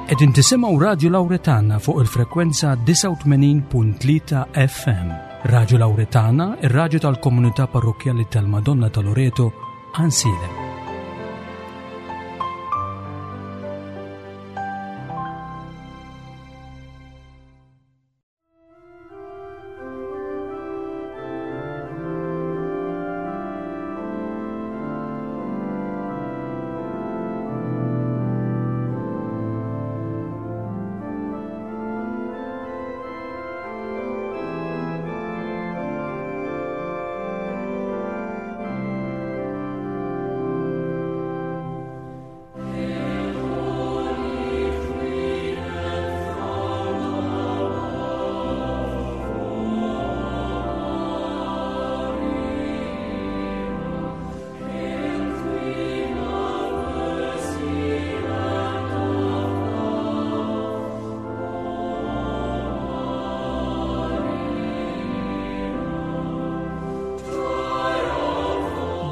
Qegħdin tisimgħu Radju Lawretana fuq il-frekwenza 89.3 FM. Radju Lawretana, ir-radju tal-komunità parrokkjali tal-Madonna ta' Loreto, Ansilem.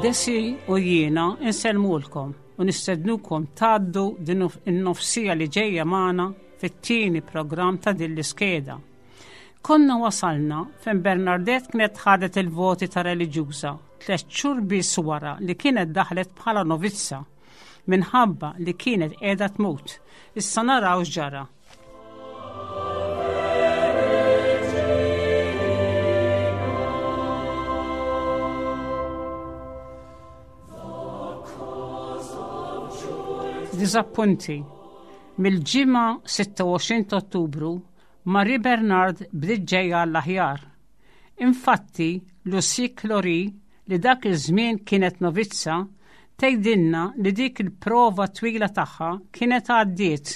Desi u jiena insellmulkom u nistednukom tgħaddu din in-nofsija li ġejja magħna fit-tieni programm ta' din l-iskeda. Konna wasalna fejn Bernardette kienet ħadet il-voti ta' reliġjuża tliet xhur biss wara li kienet daħlet bħala novizza minħabba li kienet qiegħda tmut. Issa naraw x'ġara. Diżappunti. Mill-ġimgħa 26 ta' Ottubru, Marie Bernard bdiet ġejja għall-aħjar. Infatti, Lucie Clory, li dak iż-żmien kienet novizza, tgħidilna li dik il-prova twila tagħha kienet għaddiet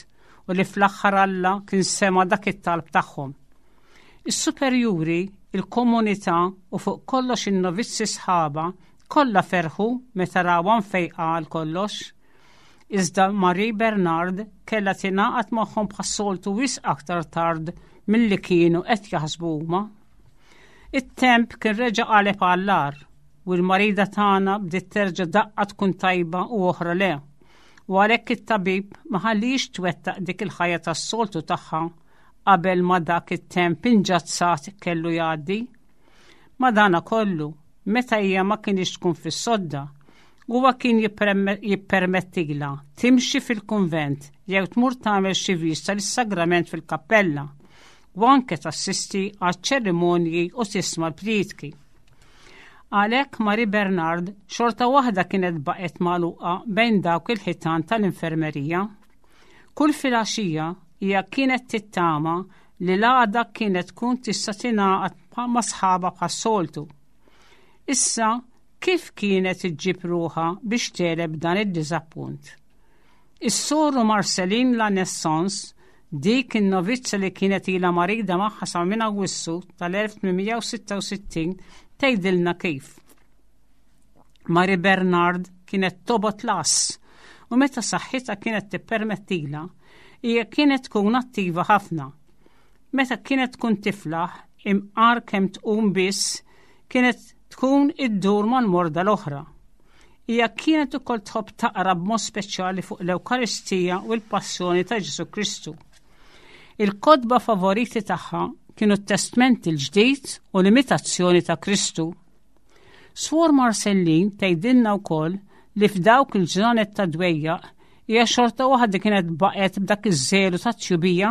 u li fl-aħħar Alla kien sema' dak it-talb tagħhom. Is-superjuri, il-komunità u fuq kollox in-novizzi sħabha kollha ferħu meta rawha mfejqa għal kollox. Iżda Marie Bernard kellha tingħaqad magħhom bħas-soltu wisq aktar tard milli kienu qed jaħsbu huma. It-temp kien reġa' qaleb għall-agħar u l-marida tagħna bdiet terġa' daqqa tkun tajba u oħra le. U għalhekk it-tabib ma ħallix twettaq dik il-ħajja tas-soltu tagħha qabel ma dak it-temp inġazzat kellu jgħaddi. Madanakollu, meta hija ma kinitx tkun fis-sodda, huwa kien jippermettilha timxi fil-kunvent jew tmur tagħmel xi vista lis-sagrament fil-kappella u anke tassisti għaċ-ċerimonji u tisma' l-prietki. Għalhekk Marie Bernard xorta waħda kienet baqgħet magħluqa bejn dawk il-ħitan tal-infermerija. Kull filgħaxija hija kienet tittama li l-għada kienet tkun tista' tingħaqad ma' sħabha bħas-soltu. Issa kif kienet iġġib ruħha biex tegħleb dan id-diżappunt? Is-soru Marceline La Naissance, dik in-novizza li kienet ilha marida magħha sa minn Awwissu tal-1866, tgħidilna kif. Marie Bernard kienet tobgħod l-għażż u meta saħħitha kienet tippermettilha, hija kienet tkun attiva ħafna. Meta kienet tkun tiflaħ, imqar kemm tqum biss, kienet tkun iddur mal-morda l-oħra. Hija kienet ukoll tħobb taqra b'mod speċjali fuq l-Ewkaristija u l-Passjoni ta' Ġesù Kristu. Il-kotba favoriti tagħha kienu t-Testment il-Ġdid u l-Imitazzjoni ta' Kristu. Swor Marcellin tgħidilna wkoll li f'dawk il-ġranet ta' dwejjaq hija xorta waħda kienet baqgħet b'dak iż-żelu ta' tjubija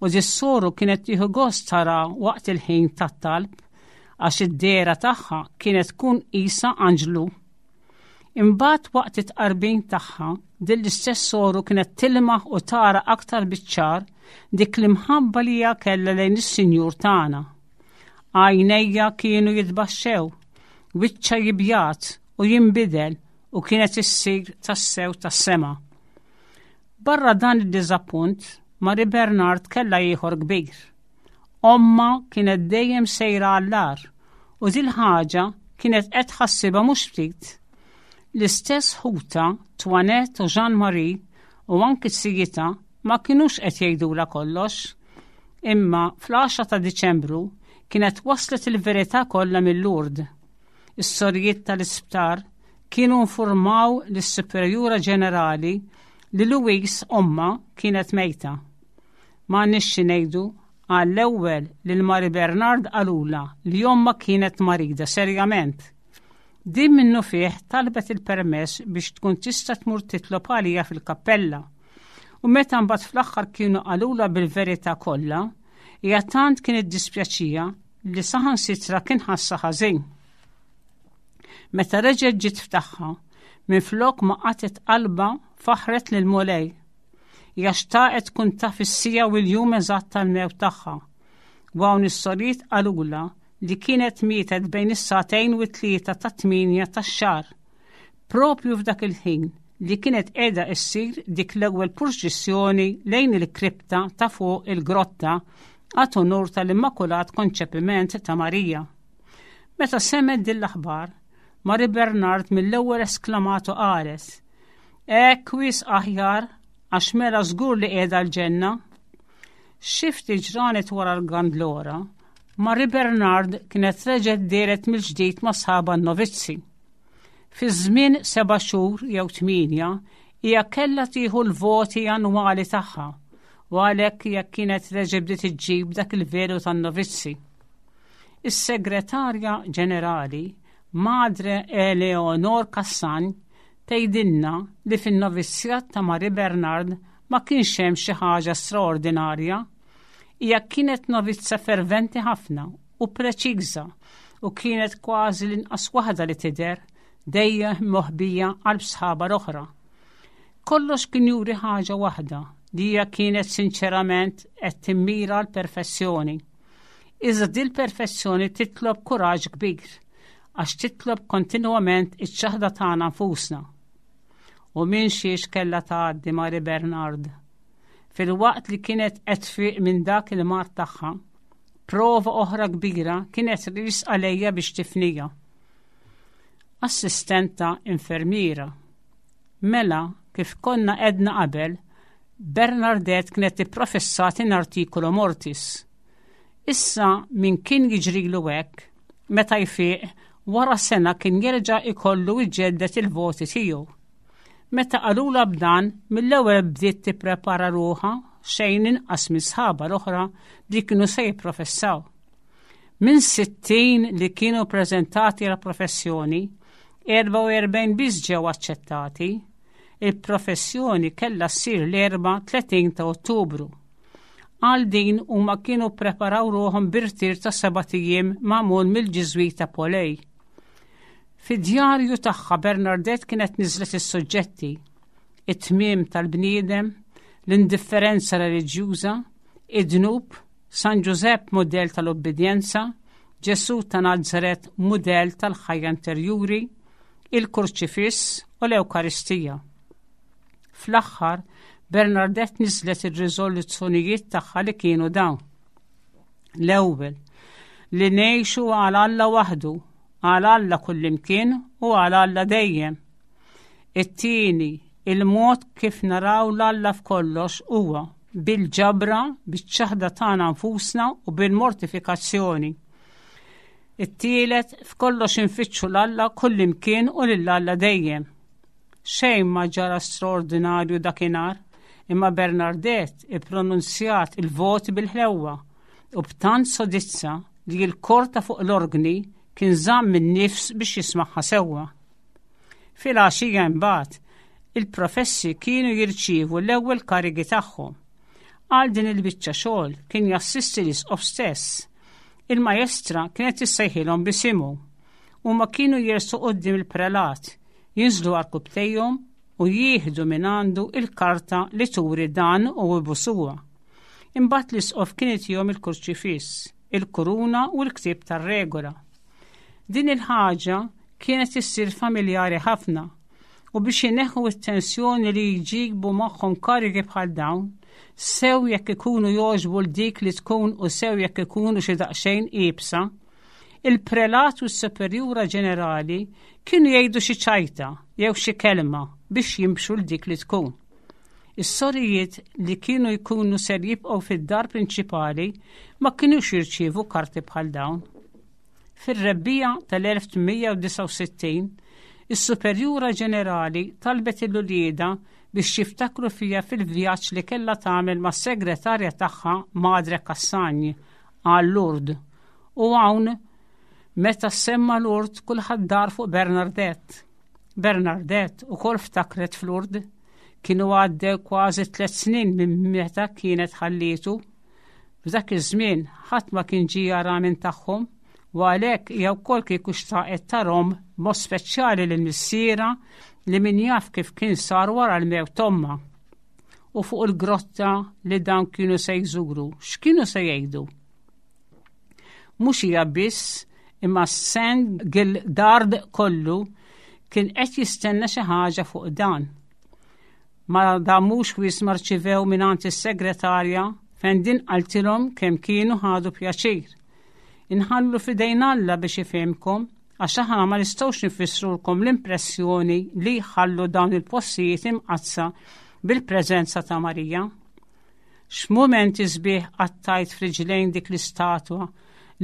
u dis-soru kienet tieħu gost tara waqt il-ħin tat-talb għax id-dehra tagħha kienet tkun qisha anġlu. Imbagħad waqt it-tqarbin tagħha, din l-istess soru kienet tilmaħ u tara aktar biċ-ċar dik l-imħabba li hija kellha lejn is-Sinjur tagħna. Għajnejja kienu jitbaxxew, wiċċha jibjad u jinbidel u kienet issir tassew tas-sema. Barra dan id-diżappunt, Marie Bernard kellha ieħor kbir. Ommha kienet dejjem sejra għall-agħar u dil-ħaġa kienet qed tħassibha mhux ftit. L-istess ħutha, Toinette u Jeanne Marie u anki sijitha ma kinux qed jgħidulha kollox. Imma fl-10 ta' Diċembru kienet waslet il-verità kollha mil-Lourdes. Is-sorijiet tal-isptar kienu informaw lis-Superjura Ġenerali li Louise ommha kienet mejta. M'għandniex xi ngħidu, għall-ewwel lil Marie Bernard qalulha li ommha kienet marida serjament. Din minnufih talbet il-permess biex tkun tista' tmur titlob għaliha fil-kappella. U meta mbagħad fl-aħħar kienu qalulha bil-verità kollha, hija tant kien iddispjaċija li saħansitra kien ħassha ħażin. Meta reġgħet ġiet f'tagħha, minflok ma qatgħet qalbha faħħret lill-Mulej. Hija xtaqet tkun taf is-siegħa u l-jum eżatt tal-mewt tagħha. U hawn is-sorijiet qalulha li kienet mietet bejn is-sagħtejn u t-tlieta tat-tmienja tax-xahar. Propju f'dak il-ħin li kienet qiegħda issir dik l-ewwel purċissjoni lejn il-kripta ta' fuq il-grotta għat unur tal-Immakulat Konċepiment ta' Marija. Meta semgħet din l-aħbar, Marie Bernard mill-ewwel esklamat u qalet, Hekk wisq aħjar għax mela żgur li qiegħda l-ġenna. Xi ftit ġranet wara l-Gandlora, Marie Bernard kienet reġgħet dehret mill-ġdid ma' sħabha n-novizzi. Fi żmien seba' xhur jew tmienja, hija kellha tieħu l-voti annwali tagħha u għalhekk hija kienet reġgħet bdiet iġġib dak il-velu tan-novizzi. Is-Segretarja Ġenerali, Madre Eleonor Cassagne, tgħidilna li fin-novizzjat ta' Marie Bernard ma kienx hemm xi ħaġa straordinarja. Hija kienet novizza ferventi ħafna u preċiża u kienet kważi l-inqas waħda li tidher, dejjem moħbija qalb sħabha l-oħra. Kollox kien juri ħaġa waħda, li hija kienet sinċerament qed timmira l-perfezzjoni. Iżda dil-perfezzjoni titlob kuraġġ kbir, għax titlob kontinwament iċ-ċaħda tagħna nfusna. U minn xiex kellha tgħaddi Mari Bernard. Filwaqt li kienet qed tfiq minn dak il-mard tagħha, prova oħra kbira kienet riesqa lejja biex tifnija. Assistenta infermiera. Mela, kif konna għedna qabel, Bernardette kienet ipprofessat in articulo mortis. Issa min kien jiġrilu hekk, meta jfiq, wara sena kien jerġa' ikollu jġedded il-voti tiegħu. Meta qalulha b'dan, mill-ewwel bdiet tipprepara ruħha xejn inqas minn sħabha l-oħra li kienu se jipprofessaw. Minn 60 li kienu preżentati għal professjoni, 44 biss ġew aċċettati. Il-professjoni kellha ssir l-Erbgħa 30 ta' Ottubru. Għal din huma kienu ppreparaw ruħhom b'irtir ta' sebat ijiem magħmul mill-Ġiżwita Polej. Fid-djarju tagħha Bernardette kienet niżlet is-suġġetti, it-tmiem tal-bniedem, l-indifferenza reliġjuża, id-dnub, San Ġużepp mudell tal-ubbidjenza, Ġesù ta' Nazaret mudell tal-ħajja interjuri, il-Kurċifiss u l-Ewkaristija. Fl-aħħar, Bernardette niżlet ir-riżoluzzjonijiet tagħha li kienu dawn. L-ewwel, li ngħixu għal Alla waħdu, għal Alla kullimkien u għal Alla dejjem. It-tieni, il-mod kif naraw l-Alla f'kollox huwa bil-ġabra, biċ-ċaħda tagħna nfusna u bil-mortifikazzjoni. It-tielet, f'kollox infittxu l-Alla kullimkien u lil Alla dejjem. Xejn ma ġara straordinarju dakinhar, imma Bernardette ippronunzjat il-voti bil-ħlewwa u b'tant sodizza li l-kor ta' fuq l-orgni kien żamm in-nifs biex jismagħha sewwa. Filgħaxija imbagħad, il-professi kienu jirċievu l-ewwel karigi tagħhom. Għal din il-biċċa xogħol kien jassisti l-isqof stess. Il-majestra kienet issejħilhom b'isimhu. Huma kienu jersu quddiem il-prelat, jinżlu għarkupptejhom u jieħdu minn għandu il-karta li turi dan u ibusuha. Imbagħad l-isqof kien itihom il-kurċifiss, il-kuruna u l-ktieb tar-regola. Din il-ħaġa kienet issir familjari ħafna u biex ineħħu t-tensjoni li jġibu magħhom karigi bħal dawn, sew jekk ikunu jogħġbu l dik li tkun u sew jekk ikunu xi daqsxejn iebsa, il-prelat u s-superjura ġenerali kienu jgħidu xi ċajta jew xi kelma biex jimxu l dik li tkun. Is-sorijiet li kienu jkunu ser jibqgħu fid-dar prinċipali ma kinux jirċievu karti bħal dawn. Fir-rebbiegħa tal-1869, is-Superjura Ġenerali talbet lil uliedha biex jiftakru fija fil-vjaġġ li kellha tagħmel mas-segretarja tagħha Madre Cassagne għal Lourdes. U hawn meta semma Lourdes kulħadd dar fuq Bernardette. Bernardette ukoll ftakret f'Lourdes. Kienu għaddew kważi tlet snin minn meta kienet ħallietu. F'dak iż-żmien ħadd ma kien ġie jara minn tagħhom u għalhekk hija wkoll kieku xtaqet tarhom b'mod speċjali lil missierha li min jaf kif kien sar wara l-mewt t'ommha. U fuq il-grotta li dawn kienu se jżuru, x'kienu se jgħidu? Mhux hija biss imma Saint Gildard kollu kien qed jistenna xi ħaġa fuq dan. Ma damux wisq ma rċivew mingħand is-segretarja fejn din qaltilhom kemm kienu ħadu pjaċir. Inħallu f'idejn Alla biex ifhimkom għax aħna ma nistgħux nifissrulkom l-impressjoni li jħallu dawn il-postijiet imqaddsa bil-preżenza ta' Marija. X'mumenti sbieħ qattajt f'riġlejn dik l-istatwa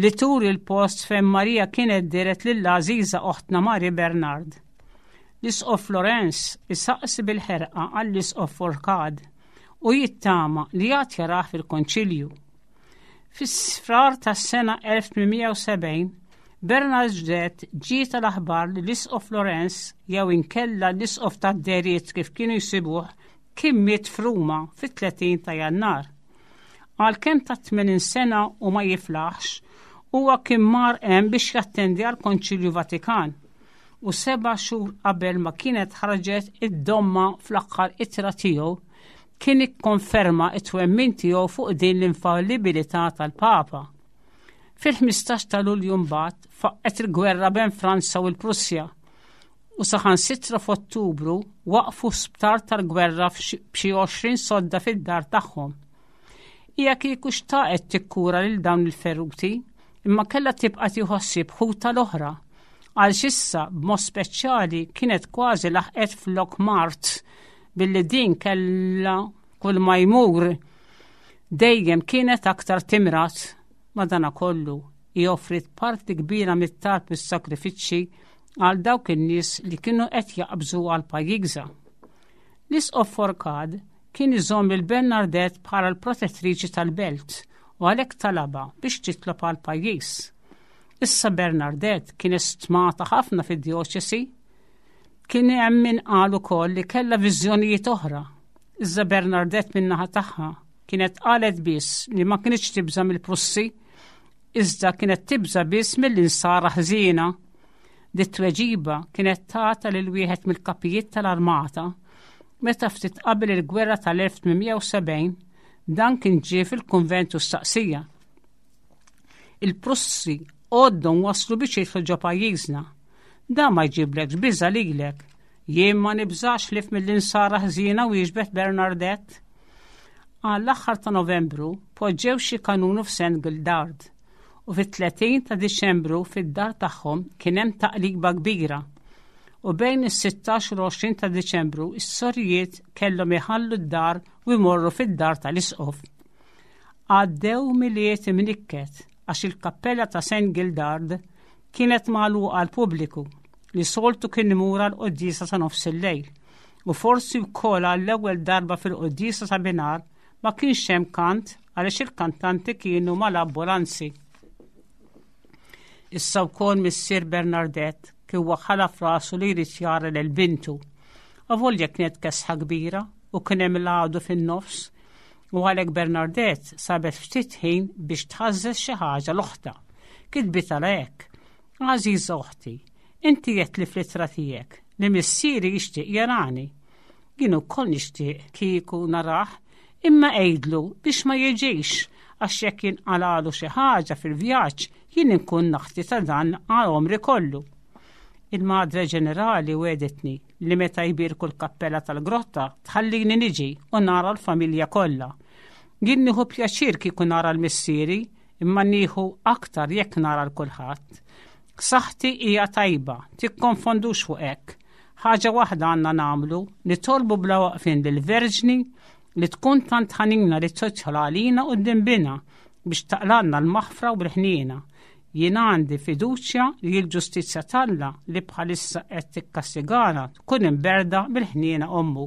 li turi l-post fejn Marija kienet dehret lill-għażiża oħtna Marie Bernard. L-Isqof Lorenz isaqsi bil-ħerqa għall-Isqof Forcade u jittama li għad jarah fil-Konċilju. Fis-frar tas-sena 1870, Bernadette ġietha l-aħbar li l-Isqof Lorenz jew inkella l-Isqof tad-Deriet kif kienu jsibuh kien miet f'Ruma fit-30 ta' Jannar. Għalkemm ta' 80 sena u ma jiflaħx, huwa kien mar hemm biex jattendi għall-Konċilju Vatikan u seba' xhur qabel ma kienet ħarġet id-domma fl-aħħar ittra tiegħu kien ikkonferma t-twemmin tiegħu fuq din l-infallibilità tal-Papa. Fil-15 ta' Lulju mbagħad faqqgħet il-gwerra bejn Franza u l-Prussja u saħansitra f'Ottubru waqfu sptar tal-gwerra b'xi 20 sodda fid-dar tagħhom. Hija kieku xtaqet tikkura lil dawn il-feruti, imma kellha tibqa' tieħu ħsieb ħutha l-oħra. Għal issa b'mod speċjali kienet kważi laħqet flok mart billi din kellha kull ma jmur dejjem kienet aktar timrat. Madanakollu, hi offriet parti kbira mit-talb u s-sagrifiċċji għal dawk in-nies li kienu qed jaqbżu għal pajjiżha. L-Isqof Forcade kien iżomm lil Bernardette bħala l-protettriċi tal-belt u għalhekk talabha biex titlob għall-pajjiż. Issa Bernardette kienet stmata ħafna fid-djoċesi. Kien hemm min qal ukoll li kellha viżjonijiet oħra. Iżda Bernardette min-naħa tagħha kienet qalet biss li ma kinitx tibża' mill-Prussi, iżda kienet tibża' biss mill-insara ħżiena. Dit-tweġiba kienet tagħta lil wieħed mill-kapijiet tal-armata meta ftit qabel il-gwerra tal-1870 dan kien ġie fil-kunvent u staqsija. Il-Prussi għoddhom waslu biex jidħlu ġo pajjiżna. Dan ma jġiblekx biża' lilek. Jien ma nibżax ħlief mill-insara ħżiena wieġbet Bernardette. Għall-aħħar ta' Novembru poġġew xi kanunu f'Saint Gildard u fit-30 ta' Diċembru fid-dar tagħhom kien hemm taqliba kbira. U bejn is-16 u l-20 ta' Diċembru s-sorijiet kellhom iħallu d-dar u jmorru fid-dar tal-isqof. Għaddew Milied imnikket għax il-kappella ta' Saint Gildard kienet magħluqa għall-pubbliku li soltu kien imur għall-quddiesa ta' nofs il-lejl u forsi wkoll għall-ewwel darba fil-quddiesa ta' binhar ma kienx hemm kant għaliex il-kantanti kienu mal-ambulanzi. Issa wkoll missier Bernardette kien waħħalha f'rasu li jrid jara lil bintu. Avolja kienet kesħa kbira u kien hemm l-għadu fin-nofs u għalhekk Bernardette sabet ftit ħin biex tħażżeż xi ħaġa l-oħtha. Kitbitha hekk. Għażiża oħti, inti għedtli fl-ittra tiegħek li missieri jixtieq jarani. Jien ukoll nixtieq kieku narah, imma għidlu biex ma jiġix għax jekk jinqalagħlu xi ħaġa fil-vjaġġ jien inkun naħti ta' dan għal għomri kollu. Il-Madre Ġenerali wegħditni li meta jbierku l-kappella tal-grotta tħallini niġi u nara l-familja kollha. Jien nieħu pjaċir kieku nara l-missieri imma nieħu aktar jekk nara l kulħadd. Saħħti hija tajba, tikkonfondux fuq hekk. Ħaġa waħda għandna nagħmlu, nitolbu bla waqfien lill-Verġni li tkun tant ħanina li tidħol għalina quddiem Binha biex taqlalna l-maħfra u l-ħniena. Jien għandi fiduċja li l-ġustizzja t'Alla li bħalissa qed tikkastigana tkun imberda mill-ħniena ommu.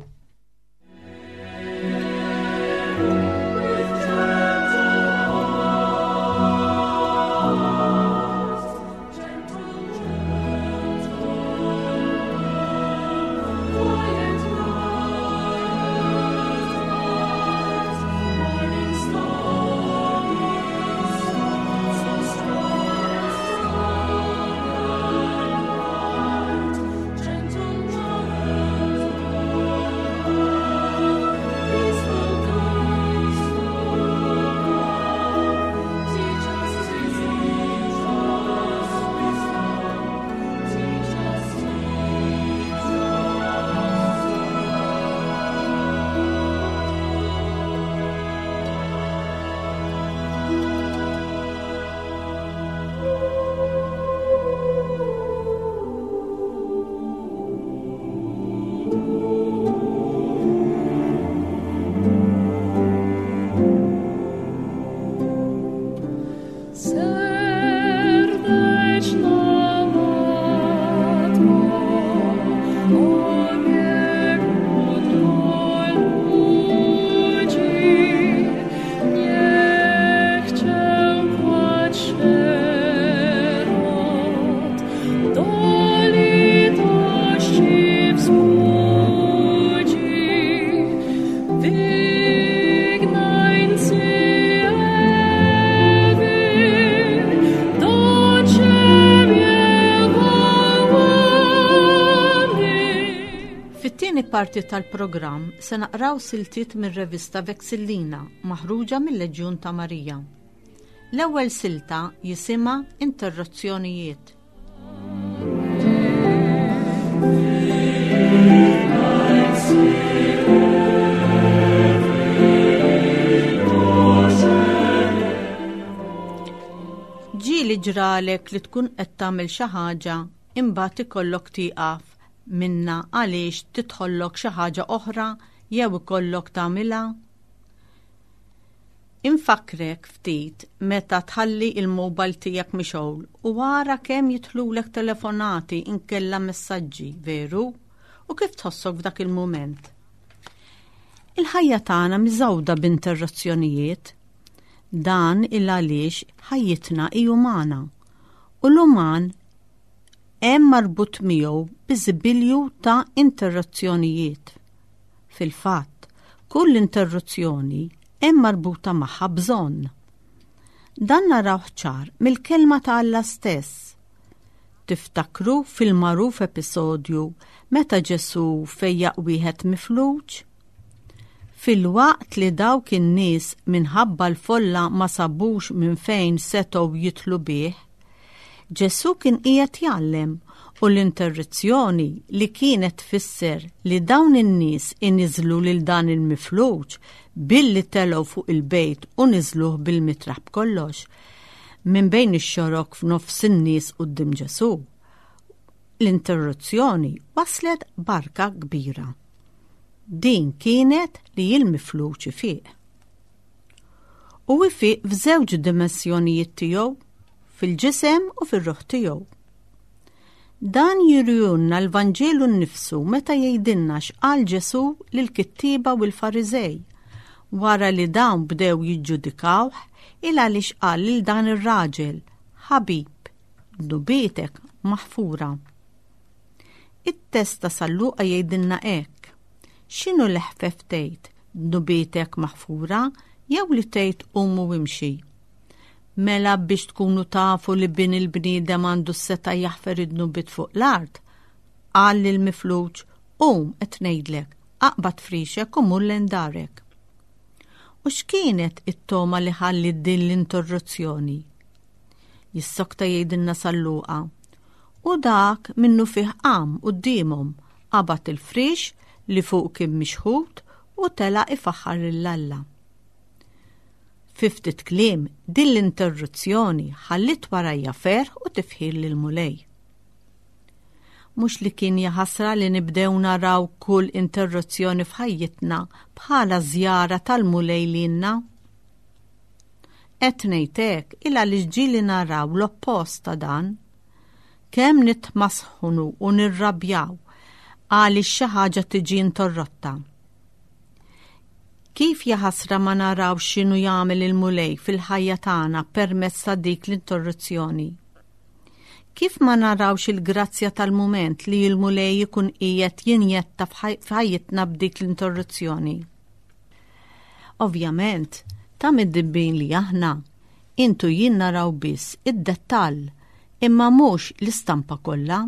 Fit-tieni parti tal-programm se naqraw siltiet mir-revista Vexillina maħruġa mil-Leġjun ta' Marija. L-ewwel silta jisimha Interruzzjonijiet. Ġieli ġralek li tkun qed tagħmel xi ħaġa imbagħad ikollok tieqaf minnha għaliex tidħollok xi ħaġa oħra jew ikollok tagħmilha? Infakkrek ftit meta tħalli il-mobile tiegħek mixgħul u ara kemm jidħlulek telefonati inkella messaġġi, veru? U kif tħossok f'dak il-mument? Il-ħajja tagħna miżgħuda b'interruzzjonijiet. Dan il għaliex ħajjitna hi umana u l-uman hemm marbut miegħu biżibilju ta' interruzzjonijiet. Fil-fatt, kull interruzzjoni hemm marbuta magħha bżonn. Dan narawh ċar mill-kelma ta' Alla stess. Tiftakru fil-magħruf episodju meta Ġesù fejjaq wieħed mifluġ? Filwaqt li dawk in-nies minħabba l-folla ma sabux minn fejn setgħu jidħlu bih, Ġesù kien qiegħed jgħallem u l-interruzzjoni li kienet tfisser li dawn in-nies iniżżlu lil dan il-mifluġ billi telgħu fuq il-bejt u niżluh bil-mitraħ b'kollox minn bejn ix-xorok f'nofs in-nies quddiem Ġesù. L-interruzzjoni waslet barka kbira. Din kienet li l-mifluġ ifiq. U ifiq f'żewġ dimensjonijiet tiegħu, fil-ġisem u fir-ruħ tiegħu. Dan jurihulna l-Vanġelu nnifsu meta jgħidilna x'qal Ġesù lill-kittieba u l-Fariżej wara li dawn bdew jiġġudikawh il għaliex qal lil dan ir-raġel, Ħabib, dnubietek maħfura. It-test ta' San Luqa jgħidilna hekk, X'inhu l-eħfef tgħid, dnubietek maħfura, jew li tgħid qum u imxi? Mela biex tkunu tafu li bin il-bniedem għandu s-setgħa jaħfer id-dnubiet fuq l-art, qal lill-mifluġ, Qum, qed ngħidlek, aqbad frixek u mur lejn darek. U x'kienet it-togħma li ħalliet din l-interruzzjoni? Jissokta jgħidilna San Luqa. U dak minnufih qam quddiemhom, qabad il-friex li fuq kien mixħut u telaq ifaħħar lil Alla. Fi ftit kliem, din l-interruzzjoni ħalliet warajja ferħ u tifħir lill-Mulej. Mhux li kien jaħasra li nibdew naraw kull interruzzjoni f'ħajjitna bħala żjara tal-Mulej lilna? Qed ngħid hekk il għaliex ġieli naraw l-oppost ta' dan. Kemm nitmasħunu u nirrabjaw għaliex xi ħaġa tiġi interrotta. Kif jaħasra ma naraw x'inhu jagħmel il-Mulej fil-ħajja tagħna permezz ta' dik l-interruzzjoni. Kif ma narawx il-grazzja tal-mument li l-Mulej ikun qiegħed jinjetta f'ħajjitna b'dik l-interruzzjoni. Ovvjament, ta' middibbin li aħna, int u jien naraw biss id-dettall imma mhux l-istampa kollha.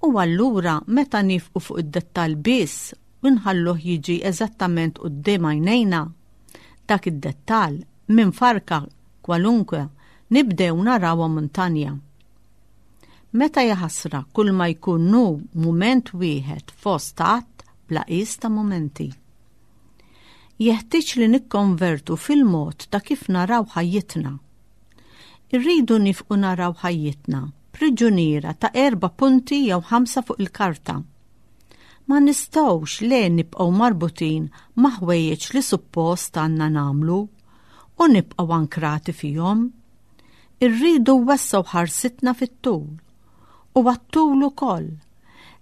U allura meta nifqu fuq id-dettall biss u nħalluh jiġi eżattament quddiem għajnejna, dak id-dettall minn farka kwalunkwe nibdew narawha muntanja. Meta jaħasra kull ma jkun hu mument wieħed fost għadd bla qies ta' mumenti. Jeħtieġ li nikkonvertu fil-mod ta' kif naraw ħajjitna. Irridu nifqu naraw ħajjitna priġuniera ta' erba' punti jew ħamsa fuq il-karta. Ma nistgħux le nibqgħu marbutin ma' ħwejjeġ li suppost għandna nagħmlu u nibqgħu ankrati fihom. Irridu nwessgħu ħarsitna fit-tul u għat-tul ukoll.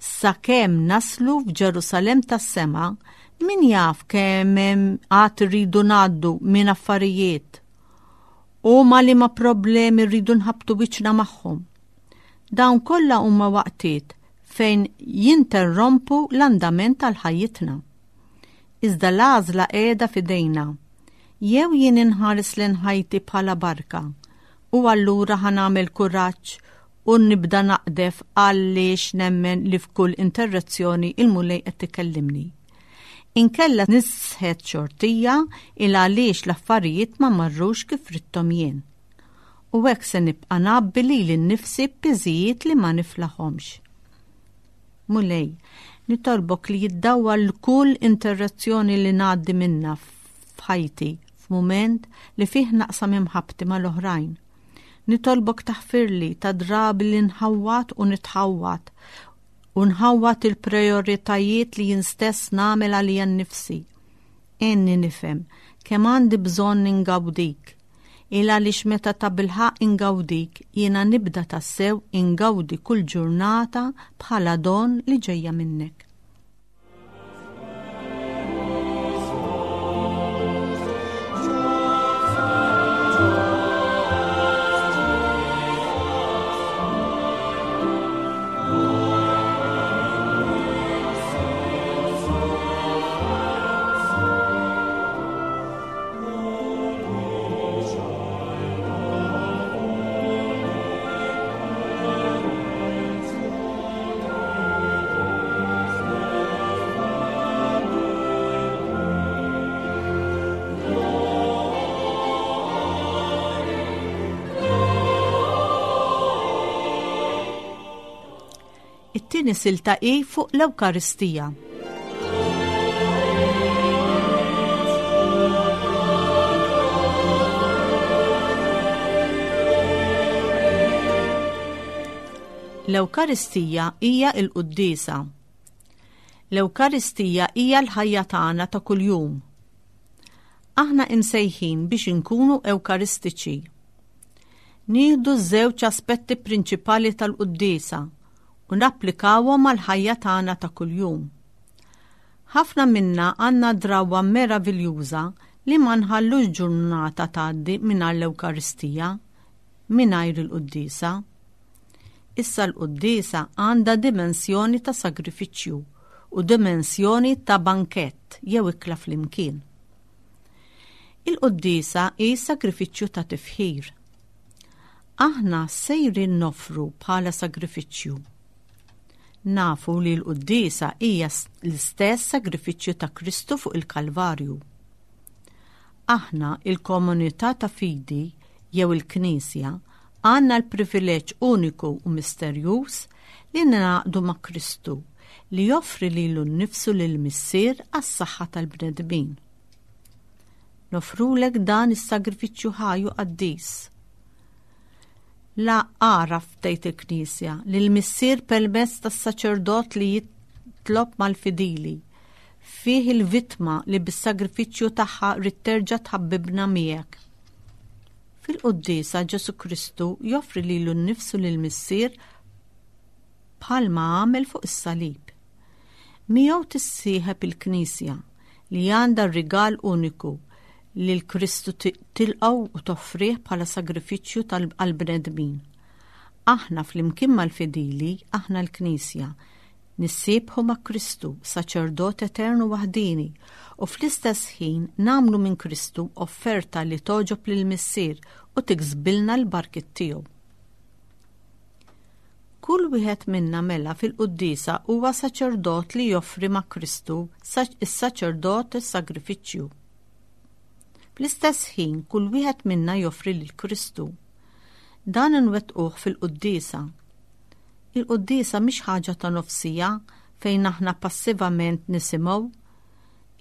Sakemm naslu f'Ġerusalemm tas-sema, min jaf kemm hemm għad irridu ngħaddu minn affarijiet u ma' liema problemi rridu nħabbtu wiċċna magħhom. Dawn kollha huma waqtiet fejn jinterrompu l-andament tal-ħajjitna. Iżda l-għażla qiegħda f'idejna. Jew jien inħares lejn ħajti bħala barka u allura ħa nagħmel kuraġġ u nibda naqdef għaliex nemmen li f'kull interruzzjoni il-Mulej qed ikellimni. Inkella nisħet xortija il għaliex l-affarijiet ma marrux kif ridthom jien. U hekk se nibqa' ngħabbi lili nnifsi b'piżijiet li ma niflaħhomx. Mulej, nitolbok li jiddawwar l-kull interruzzjoni li ngħaddi minnha f'ħajti f'mument li fih naqsam imħabbti mal-oħrajn. Nitolbok taħfirli ta' drabi li nħawwad u nitħawwad u nħawwad il-prejoritajiet li jien stess nagħmel għalija nnifsi. Għenni nifhem kemm għandi bżonn ingawdik. Il għaliex meta tabilħaqq ingawdik jiena nibda tassew ingawdi kull ġurnata bħala don li ġejja minnek. It-tieni silta hi fuq l-Ewkaristija. L-Ewkaristija hija l-quddiesa. L-Ewkaristija hija l-ħajja tagħna ta' kuljum. Aħna imsejħin biex inkunu ewkaristiċi. Nieħdu ż-żewġ aspetti prinċipali tal-quddiesa u napplikawhom għall-ħajja tagħna ta' kuljum. Ħafna minna għandna drawwa meraviljuża li ma nħallux ġurnata tgħaddi mingħajr l-Ewkaristija, mingħajr il-quddiesa. Issa l-quddiesa għandha dimensjoni ta' sagrifiċċju u dimensjoni ta' bankett jew ikla flimkien. Il-quddiesa hi sagrifiċċju ta' tifħir. Aħna sejrin noffru bħala sagrifiċċju. Nafu li l-quddiesa hija l-istess sagrifiċċju ta' Kristu fuq il-Kalvarju. Aħna, il-komunità ta' fidi jew il-Knisja, għandna l-privileġġ uniku u misterjuż li ningħaqdu ma' Kristu li joffri lilu nnifsu lill-Missier għas-saħħa tal-bnedmin. Noffrulek dan is-sagrifiċċju ħaj u qaddis. La għaraf tgħid il-Knisja li l-Missier permezz tas-saċerdot li jitlob mal-fidili fih il-vittma li bis-sagrifiċċju tagħha rrid terġa' tħabbibna miegħek. Fil-quddiesa Ġesù Kristu joffri lilu nnifsu lill-Missier bħalma għamel fuq is-salib. Miegħu tissieħeb il-Knisja li għandha r-rigal uniku li l-Kristu tilqgħu u toffrih bħala sagrifiċċju għall-bnedmin. Aħna flimkien mal-fidili, aħna l-Knisja, nissiebħu ma' Kristu, saċerdot etern u waħdieni, u fl-istess ħin nagħmlu minn Kristu offerta li togħġob lill-Missier u tiksbilna l-barkiet tiegħu. Kull wieħed minna mela fil-quddiesa huwa saċerdot li joffri ma' Kristu is-saċerdot is-sagrifiċċju. Fl-istess ħin kull wieħed minna joffri lil Kristu. Dan inwettquh fil-quddiesa. Il-quddiesa mhix ħaġa ta' nofsija fejn aħna passivament nisimgħu.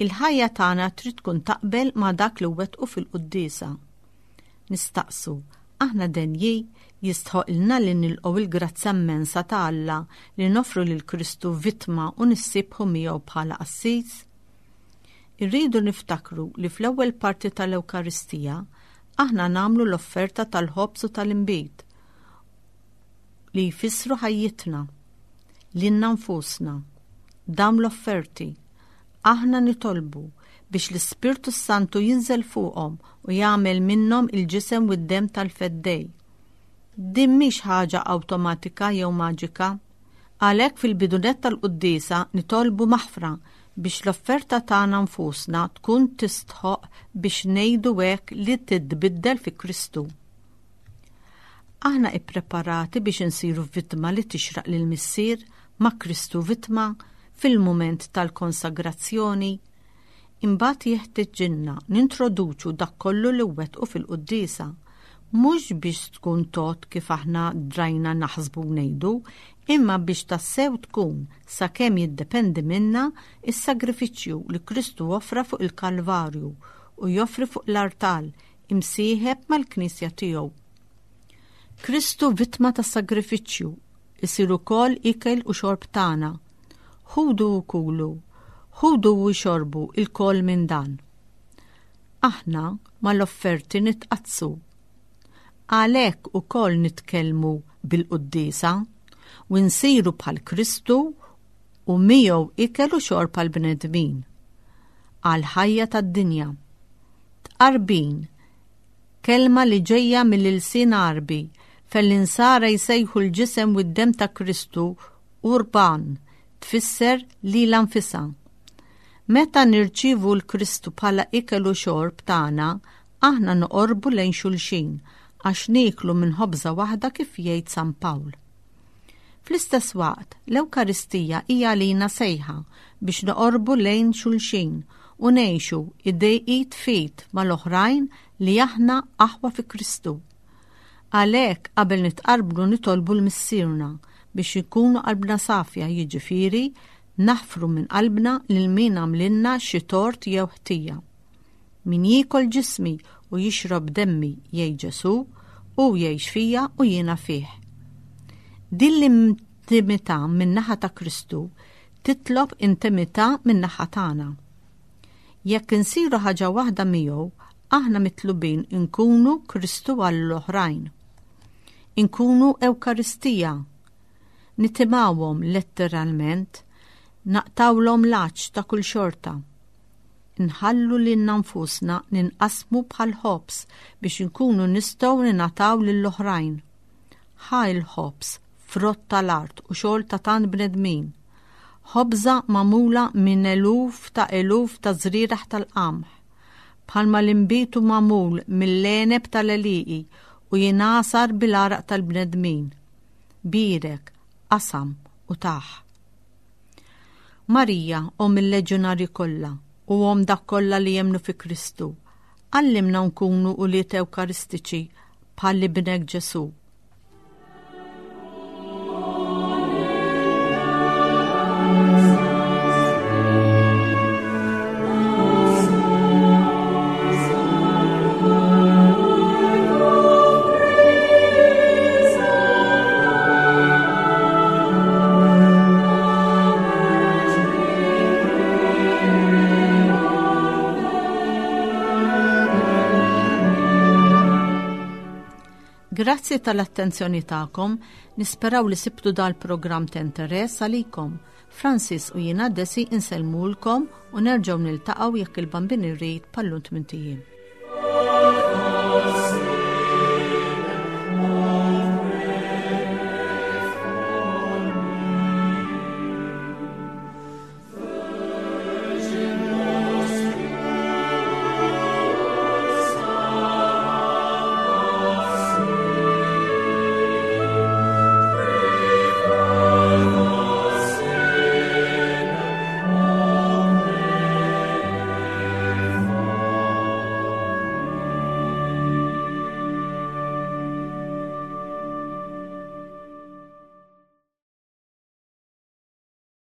Il-ħajja tagħna trid tkun taqbel ma' dak li wettqu fil-quddiesa. Nistaqsu, aħna denji, jistħoqilna li nilqgħu l-grazzja immensa ta' Alla li noffru lil Kristu vittma u nissiebħu miegħu bħala qassis? Irridu niftakru li fl-ewwel parti tal-Ewkaristija aħna nagħmlu l-offerta tal-ħobż u tal-inbid li jfissru ħajjitna, lilna nfusna. Dawn l-offerti Aħna nitolbu biex l-Ispirtu s-Santu jinżel fuqhom u jagħmel minnhom il-ġisem u d-demm tal-Feddej. Din mhix ħaġa awtomatika jew maġika. Għalhekk fil-bidu nett tal-quddiesa nitolbu maħfra biex l-offerta tagħna nfusna tkun tistħoqq biex ngħidu hekk li titbiddel fi Kristu. Aħna ippreparati biex insiru vittma li tixraq lill-Missier ma' Kristu vittma fil-mument tal-konsagrazzjoni? Imbagħad jeħtiġilna nintroduċu dak kollu li wettqu fil-quddiesa, mhux biex tkun tgħodd kif aħna drajna naħsbu u ngħidu, imma biex tassew tkun, sakemm jiddependi minna, is-sagrifiċċju li Kristu offra fuq il-Kalvarju u joffri fuq l-artal, imsieħeb mal-Knisja tiegħu. Kristu vittma tas-sagrifiċċju, isir ukoll ikel u xorb tagħna. Ħudu u kulu, ħudu u xorbu ilkoll minn dan. Aħna mal-offerti nitqaddsu. Għalhekk ukoll nitkellmu bil-quddiesa u nsiru bħal Kristu u miegħu ikel u xorb għall-bnedmin, għall-ħajja tad-dinja. Tqarbin, kelma li ġejja mill-ilsien Għarbi, fejn l-Insara jsejħu l-ġisem u d-demm ta' Kristu qurban, tfisser lilha nfisha. Meta nirċievu 'l Kristu bħala ikel u xorb tagħna, aħna noqorbu lejn xulxin għax nieklu minn ħobża waħda kif jgħid San Pawl. Fl-istess waqt, l-Ewkaristija hija għalina sejħa biex noqorbu lejn xulxin u ngħixu idej id f'id mal-oħrajn li aħna aħwa fi Kristu. Għalhekk qabel nitqarbnu nitolbu 'l Missierna biex inkunu qalbna safja jiġifieri naħfru minn qalbna lil min għamlilna xi tort jew ħtija. Min jiekol ġismi u jixrob demmi, jgħid Ġesù, hu jgħix fija u jiena fih. Din l-intimità min-naħa ta' Kristu titlob intimità min-naħa tagħna. Jekk insiru ħaġa waħda miegħu, aħna mitlubin inkunu Kristu għall-oħrajn. Inkunu Ewkaristija. Nitimgħuhom letteralment, naqtgħulhom l-għatx ta' kull xorta. Nħallu lilna nfusna ninqasmu bħal ħobż biex inkunu nistgħu ningħataw lill-oħrajn. Ħa l-ħobż, frott tal-art u xogħol ta' tant bnedmin. Ħobża magħmula minn eluf ta' eluf ta' żrieragħ tal-qamħ. Bħalma l-inbid hu magħmul mill-għeneb tal-għelieqi u jingħasar bil-għaraq tal-bnedmin. Bierek, qasam u tah. Marija, Omm il-Leġjonarji kollha u Omm dak kollha li jemmnu fi Kristu, għallimna nkunu ulied Ewkaristiċi bħal Ibnek Ġesù. Grazzi tal-attenzjoni tagħkom, nisperaw li sibtu dal-programm ta' interess għalikom. Francis u jiena Desi insellmulkom u nerġgħu niltaqgħu jekk il-Bambin irid pallun tmint ijiem.